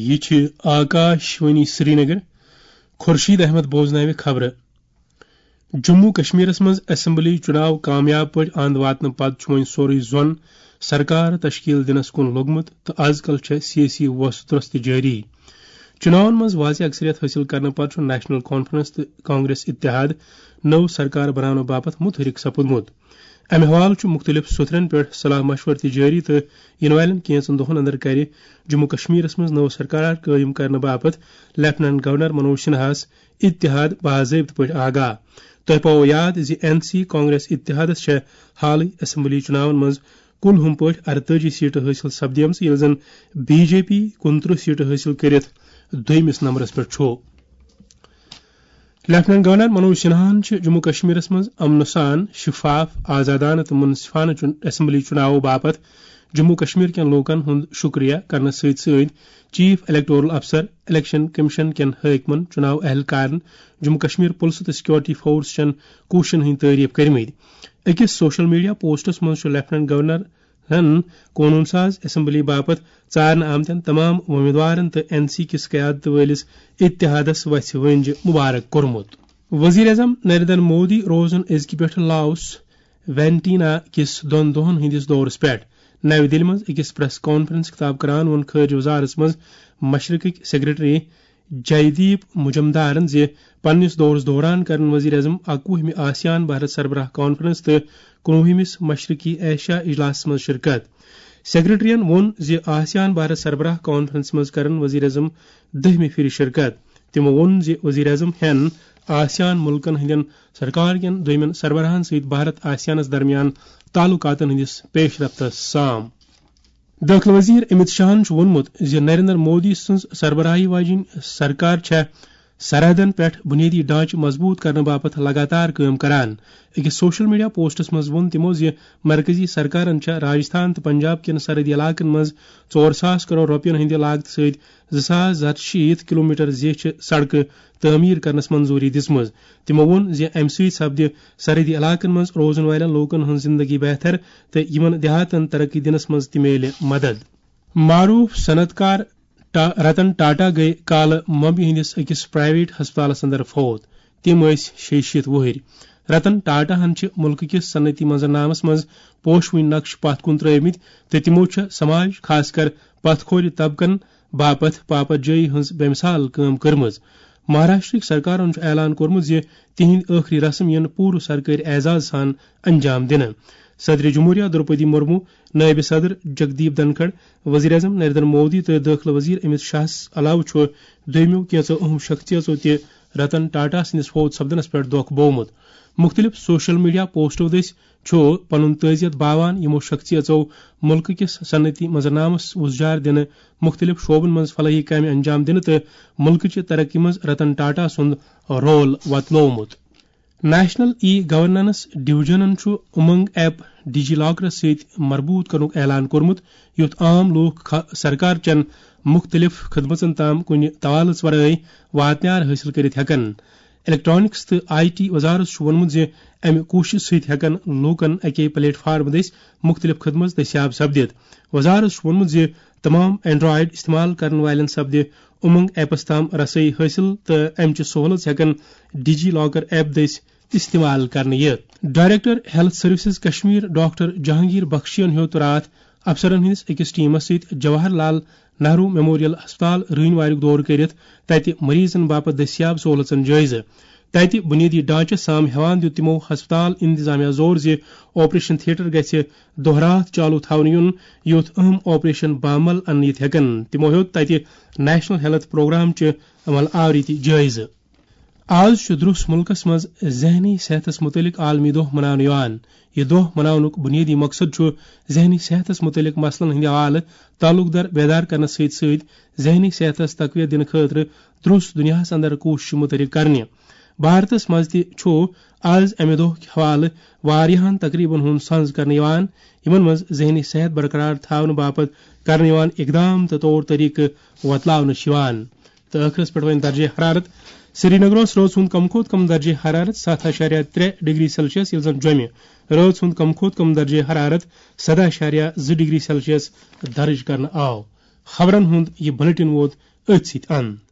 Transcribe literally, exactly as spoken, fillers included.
یہِ چھِ آکاش وانی سرینگر۔ خورشید احمد بوزناوِ خبرٕ۔ جموں کشمیرس منٛز اسمبلی چُناو کامیاب پٲٹھۍ اند واتنہٕ پتہٕ چھُ وۄنۍ سورُے زون سرکار تشکیل دِنس کُن لوٚگمُت تہٕ از کل چھےٚ سیٲسی وۄسہٕ ترٛوٚس تہِ جٲری۔ چُناون منٛز واضح اکثریت حٲصِل کرنہٕ پتہٕ چھُ نیشنل کانفرنس تہٕ کانگریس اتحاد نٔو سرکار بناونہٕ باپتھ متحرک سپُدمُت۔ امہِ حوالہٕ چھُ مُختٔلِف سوٚتھرن پٮ۪ٹھ صلاح مشورٕ تہِ جٲری تہٕ یِنہٕ والٮ۪ن کینٛژن دۄہن اندر کرِ جموں کشمیرس منٛز نٔو سرکار قٲیِم کرنہٕ باپتھ لیفٹیننٹ گورنر منوج سنہاہس اتحاد باضٲبطہٕ پٲٹھۍ آگاہ۔ تۄہہِ پاوو یاد زِ این سی کانگریس اتحادس چھےٚ حالٕے اسمبلی چُناون منٛز کُل ہُم پٲٹھۍ ارتٲجی سیٹہٕ حٲصِل سپدیمژٕ، ییٚلہِ زن بی جے پی کُنترٕہ سیٹہٕ حٲصِل کٔرِتھ دوٚیمِس نمبرس پٮ۪ٹھ چھُ۔ لیفٹیننٹ گورنر منوج سنہاہن چھِ جموں کشمیرس منٛز امنہٕ سان، شفاف، آزادانہٕ تہٕ منصفانہٕ چُن-، اسمبلی چُناوو باپتھ جموں کشمیر کٮ۪ن لوٗکن ہُنٛد شُکریہ کرنس سۭتۍ سۭتۍ چیف الیکٹورل افسر، الیکشن کمیشن کٮ۪ن حٲکمن، چُناو اہلکارن، جموں کشمیر پُلسہٕ تہٕ سیکورٹی فورس چٮ۪ن کوٗششن ہٕنٛدۍ تعریف کٔرمٕتۍ۔ أکِس سوشل میڈیا پوسٹس منٛز چھُ لیفٹیننٹ گورنر ہن قونوٗن ساز اسمبلی باپتھ ژارنہٕ آمتٮ۪ن تمام وۄمیدوارن تہٕ این سی کِس قیادت وٲلِس اتحادس وژھِ ؤنجہِ مبارک کوٚرمُت۔ وزیر اعظم نریندر مودی روزن أزکہِ پٮ۪ٹھٕ لاوس وینٹینا کِس دۄن دۄہن ہٕنٛدِس دورس پٮ۪ٹھ۔ نَوِ دِلہِ منٛز أکِس پریس کانفرنس خطاب کران ووٚن خارجہ وزارت منٛز مشرقٕکۍ سیکرٹری جیدیپ مجمدارن زِ پننِس دورس دوران کرن وزیر اعظم اکوُہمہِ آسیان بھارت سربراہ کانفرنس تہٕ کُنوُہمِس مشرقی ایشیا اجلاسس منٛز شرکت۔ سیکرٹریَن ووٚن زِ آسیان بھارت سربراہ کانفرنس منٛز کرن وزیر اعظم دٔہمہِ پھِرِ شرکت۔ تِمو ووٚن زِ وزیر اعظم ہٮ۪ن آسیان مُلکن ہٕنٛدٮ۪ن سرکار کٮ۪ن دوٚیمٮ۪ن سربراہن سۭتۍ بھارت آسیانس درمیان تعلقاتن ہٕنٛدِس پیش رفتس سام۔ دٲخلہٕ وزیر امت شاہن چھُ ووٚنمُت زِ نریندر مودی سٕنٛز سربراہی واجیٚنۍ سرکار چھےٚ سرحدن پٮ۪ٹھ بنیٲدی ڈھانچہٕ مضبوٗط کرنہٕ باپتھ لگاتار کٲم کران۔ أکِس سوشل میڈیا پوسٹس منٛز ووٚن تِمو زِ مرکزی سرکارن چھےٚ راجستھان تہٕ پنجاب کٮ۪ن سرحدی علاقن منٛز ژور ساس کرور رۄپین ہٕنٛدِ لاگتہٕ سۭتۍ زٕ ساس زٕ ہتھ شیٖتھ کلومیٹر زیچھِ سڑکہٕ تعمیٖر کرنس منظوٗری دِژمٕژ۔ تِمو ووٚن زِ امہِ سۭتۍ سپدِ سرحدی علاقن منٛز روزن والٮ۪ن لوٗکن ہٕنٛز زندگی بہتر تہٕ یِمن دیہاتن ترقی دِنس منٛز تہِ میلہِ مدد۔ معروف صنعت کار ٹا-، رتن ٹاٹا گٔیہِ کالہٕ ممبئی ہٕنٛدِس أکِس پرائیویٹ ہسپتالس اندر فوت۔ تِم ٲسۍ شیٚیہِ شیٖتھ وُہٕرۍ۔ رتن ٹاٹاہن چھِ مُلکہٕ کِس صنعتی منظرنامس منٛز پوشوٕنۍ نقش پتھ کُن ترٲومٕتۍ تہٕ تِمو چھےٚ سماج، خاص کر پتھ کھورِ طبقن باپتھ پاپت جٲیی ہٕنٛز بے مثال کٲم کٔرمٕژ۔ مہاراشٹرٕکۍ سرکارن چھُ اعلان کوٚرمُت زِ تِہنٛدۍ ٲخری رسم یِن پوٗرٕ سرکٲرۍ اعزاز سان انجام دِنہٕ۔ صدر جمہوریہ درپدی مرمو، نائب صدر جگدیپ دھنکھڑ، وزیر اعظم نریندر مودی تہٕ دٲخلہٕ وزیر امت شاہس علاوٕ چھُ دوٚیمٮ۪و کینٛژو اہم شخصیژو تہِ رتن ٹاٹا سٕنٛدِس فوت سپدنس پٮ۪ٹھ دۄکھ بوومُت۔ مُختٔلِف سوشل میڈیا پوسٹو دٔسۍ چھُ پنُن تعزیت باوان، یِمو شخصیژو مُلکہٕ کِس صنعتی منظرنامس وُزجار دِنہٕ، مُختٔلِف شعبن منٛز فلاحی کامہِ انجام دِنہٕ تہٕ مُلکہٕ چہِ ترقی منٛز رتن ٹاٹا سُنٛد رول وۄتلوومُت۔ نیشنل ای گورننس ڈویژنن چھُ امنگ ایپ ڈی جی لاکرس سۭتۍ مربوط کرنُک اعلان کوٚرمُت، یُتھ عام لوٗکھ خ-، سرکار چٮ۪ن مُختٔلِف خدمژن تام کُنہِ توالٕژ ورٲے واتنیار حٲصِل کٔرِتھ ہٮ۪کن۔ الیکٹرانکس تہٕ آئی ٹی وزارت چھُ ووٚنمُت زِ امہِ کوٗششہِ سۭتۍ ہٮ۪کن لوٗکن اکے پلیٹ فارم دٔسۍ مُختٔلِف خدمژ دٔستیاب سپدِتھ۔ وزارت چھُ ووٚنمُت زِ تمام اینڈرائیڈ استعمال کرن والٮ۪ن سپدِ امنگ ایپس تام رسٲیی حٲصِل تہٕ امہِ چہِ سہولژ ہٮ۪کن ڈی جی لاکر ایپ دٔسۍ استعمال کرنہٕ یِتھ۔ Director health services Kashmir doctor Jahangir بخشین ہیوٚت راتھ افسرن ہٕنٛدِس أکِس ٹیمس سۭتۍ جواہر لال نہرو میموریل ہسپتال رٲنۍ واریُک دورٕ کٔرِتھ تتہِ مریضن باپتھ دٔستیاب سہولژن جٲیزٕ۔ تتہِ بنیٲدی ڈھانچس سام ہٮ۪وان دیُت تِمو ہسپتال انتظامیہ زور زِ آپریشن تھیٹر گژھِ دۄہ راتھ چالو تھاونہٕ یُن، یُتھ اہم آپریشن بامل اننہٕ یِتھ ہٮ۪کن۔ تِمو ہیوٚت تتہِ نیشنل ہیلتھ پروگرام چہِ عمل آوری تہِ جٲیزٕ۔ آز چھُ درُس مُلکس منٛز ذہنی صحتس مُتعلق عالمی دۄہ مناونہٕ یِوان۔ یہِ دۄہ مناونُک بُنیٲدی مقصد چھُ ذہنی صحتس مُتعلق مسلن ہٕنٛدِ حوالہٕ تعلق دار بیدار کرنس سۭتۍ سۭتۍ ذہنی صحتس تقویت دِنہٕ خٲطرٕ درُس دُنیاہس اندر کوٗششہٕ مُتعارف کرنہِ۔ بھارتس منٛز تہِ چھُ آز امہِ دۄہ کہِ حوالہٕ واریاہن تقریبن ہُنٛد سنز کرنہٕ یِوان، یِمن منٛز ذہنی صحت برقرار تھاونہٕ باپتھ کرنہٕ یِوان اقدام تہٕ طور طریقہٕ وۄتلاونہٕ چھِ یِوان۔ تہٕ ٲخرس پٮ۪ٹھ وۄنۍ درجہ حرارت۔ سرینگرس رٲژ ہُنٛد کم کھۄتہٕ کم درجہ حرارت ستھ اعشاریہ ترٛےٚ ڈگری سیلسیس، ییٚلہِ زن جوٚمہِ رٲژ ہُنٛد کم کھۄتہٕ کم درجہ حرارت سدہ اعشاریہ زٕ ڈگری سیلسیس درج کرنہٕ آو۔ خبرن ہُنٛد یہِ بلیٹن ووت أتھۍ سۭتۍ اَن۔